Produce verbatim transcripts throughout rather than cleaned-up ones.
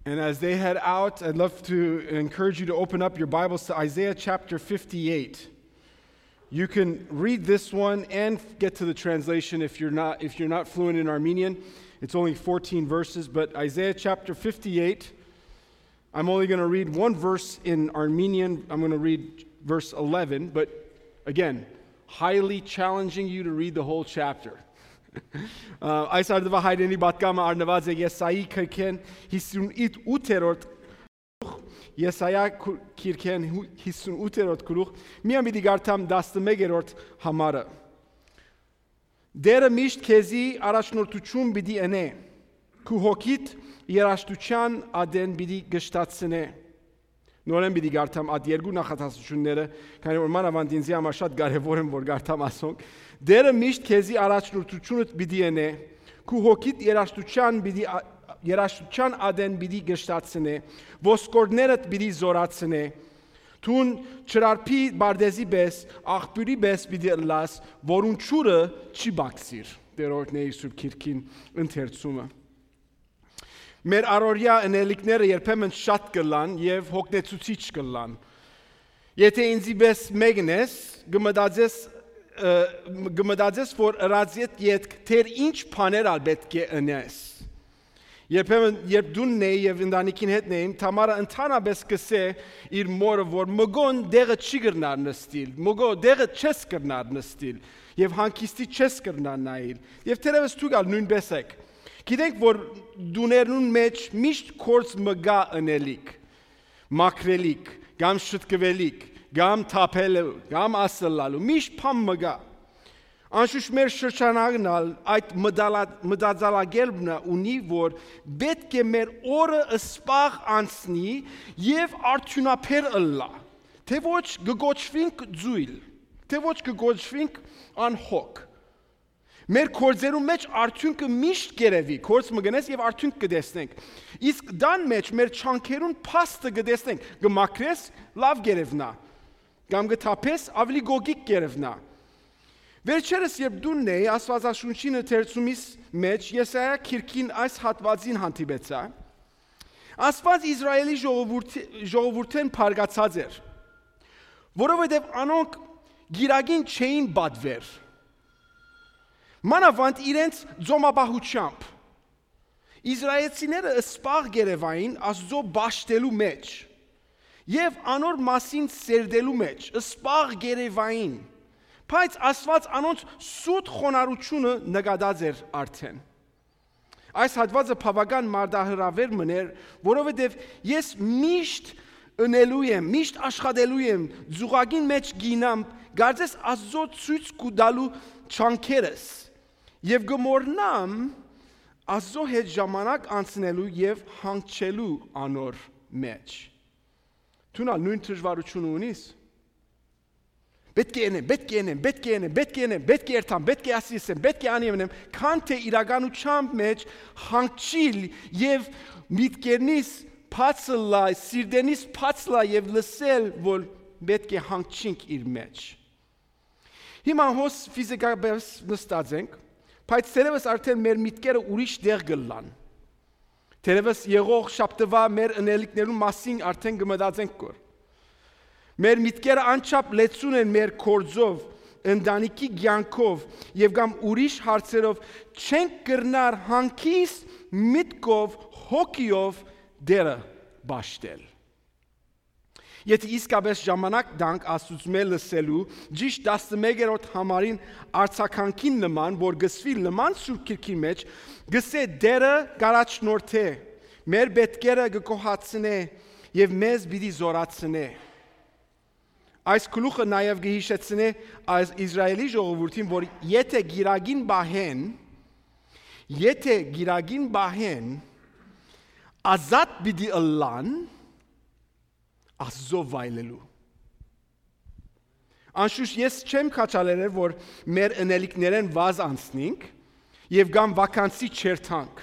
And as they head out, I'd love to encourage you to open up your Bibles to Isaiah chapter fifty-eight. You can read this one and get to the translation if you're not if you're not fluent in Armenian. It's only fourteen verses, but Isaiah chapter fifty-eight, I'm only going to read one verse in Armenian. I'm going to read verse eleven, but again, highly challenging you to read the whole chapter. Այս արդվա հայրենի բատկամը արնված է Եսայի քրքեն հիսունութերորդ Եսայա քիրքեն հիսունութերորդ գլուխ միամ պիտի գարթամ տասնմեկերորդ համարը Դերը միշտ քեզի առաջնորդություն պիտի ընե քու հոգիդ երաշտության ադեն պիտի գշտացնե Նորեն պիտի գարթամ այդ երկու նախատեսությունները, քանի որ մանավանդ ինձ համար շատ կարևոր են որ գարթամ ասոնք Դերը միշտ քեզի առաջնորդությունդ պիտի ընե քու հոգիդ երաշտության պիտի երաշտության ադեն պիտի գշտացնե ոսկորներդ պիտի զորացնե Թուն չրարփի բարդեզի պես աղբյուրի պես պիտի լաս որուն ճուրը չի բացիր Տերորտների սուրբ քիրքին ընթերցումը Մեր առօրյա ընելիքները երբեմն շատ կլան եւ հոգնեցուցիչ կլան Եթե ինձի պես մեկն ես գմդածես գմդածես որ ռազիետ յետք թեր ինչ բաներ ալ պետք է ընես Երբեմն երբ դունն էի եւ ընտանիքին հետ նեին Թամարը ընդհանրապես կսե իր մորը որ մգոն դեղը չի գրնար նստիլ մգո դեղը չես գրնար նստիլ եւ հանկիստի չես գրնար նայել եւ թերևս դուք ալ նույնպես եք Գիտենք որ դուներուն մեջ միշտ կորց մգա ընելիք մակրելիք կամ շտկվելիք կամ թափելու կամ ասլալու միշտ փամ մգա Անշուշտ մեր շրջանագնալ այդ մդածալագելբնը ունի որ պետք է մեր օրը սպաղ անցնի եւ արդյունաբեր ըլլա թե ոչ գոչվինք ձույլ թե ոչ գոչվինք անհոգ Մեր կորձերու մեջ արդյունքը միշտ գերևի, կորձ մգնես և արդյունք կդեսնենք Իսկ դան մեջ մեր չանքերուն պաստը կդեսնենք Գմակրես լավ գերևնա Կամ գթապես ավելի գոգիկ գերևնա Վերջերս երբ դունն էի ասվածաշունչին ընթերցումից մեջ Եսայա քիրքին այս հատվածին հանդիպեցա Ասված Իսրայելի ժողովուրդեն փարգացած էր Որովհետև անոնք գիրագին չէին բադվեր Մանավանդ իրենց ձոմաբահությամբ Իսրայելցիները սպաղ գերևային Աստծո բաշտելու մեջ Եվ անոր մասին սերդելու մեջ Սպաղ գերևային Բայց Աստված անոնց սուտ խոնարհությունը նկատած էր արդեն Այս հատվածը բավական մարդահրավեր մներ Որովհետև ես միշտ ընելու եմ Միշտ աշխատելու եմ Ձուղագին մեջ գինամ Գարձես Աստծո ցույց կուտալու չանքերս Եվ գմորնամ Աստծո հետ ժամանակ անցնելու եւ հանգչելու անոր մեջ Դու նույն դժվարությունը ունիս Պետք է ենեմ, պետք է ենեմ, պետք է ենեմ, պետք է ենեմ, պետք է երթամ, պետք է ասիսեմ, պետք է անիվնեմ Քան թե իրականությամբ մեջ հանգչիլ եւ միտքերնից փածլա, սիրտենից փածլա եւ լսել որ պետք է հանգչինք իր մեջ Հիմա հոս ֆիզիկապես նստած ենք Բայց թերևս արդեն մեր միտքերը ուրիշ դեղ գլան Թերևս եղող շաբթվա մեր ընելիքներու մասին արդեն գմդածենք կոր Մեր միտքերը անչափ լեցուն են մեր կորձով, ընտանիքի կյանքով եւ կամ ուրիշ հարցերով չենք կրնար հանգիստ միտքով, հոգիով դերը բաշտել Եթե իսկապես ժամանակ դանք աստուծմե լսելու ճիշտ տասնմեկերորդ համարին արձականքին նման, որ գսվի նման սուրբ քիրքի մեջ, գսե դերը գարաչնորթե, մեր պետքերը գկոհացնե եւ մեզ պիտի զորացնե։ Այս գլուխը նաեւ գհիշեցնե այս Իսրայելի ժողովրդին, որ եթե գիրագին բահեն, եթե գիրագին բահեն, ազատ պիտի ըլլան Աստծո վայելելու Անշուշտ ես չեմ քաչալերել որ մեր ընելիքներեն վազ անցնենք եւ կամ վականցի չերթանք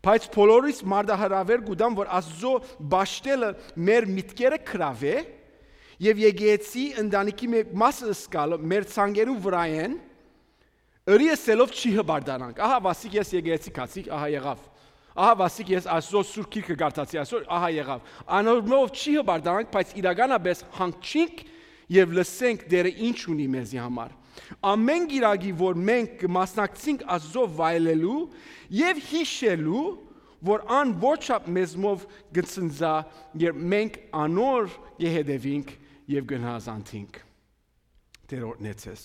բայց բոլորիս մարդահրավեր գուտամ որ Աստծո բաշտելը մեր միտքերը քրավե եւ եկեցի ընտանիքի մեկ մասը սկալը մեր ցանկերու վրա են ըրիեսելով չի հբարդանանք ահա վասիկ ես եկեցի քացիկ ահա եղավ Ահա վասիկ ես այսօր Սուրբ Գիրքը կարդացի, այսօր ահա եղավ։ Անորմով չի հբարդանանք, բայց իրականապես հանգչենք եւ լսենք դերը ինչ ունի մեզի համար։ Ամեն գիրագի, որ մենք կմասնակցենք Աստծո վայելելու եւ հիշելու, որ ան ոչափ մեզմով գծնձա, երբ մենք անոր կհետևենք եւ գնահատենք։ Տեր օրհնեցես։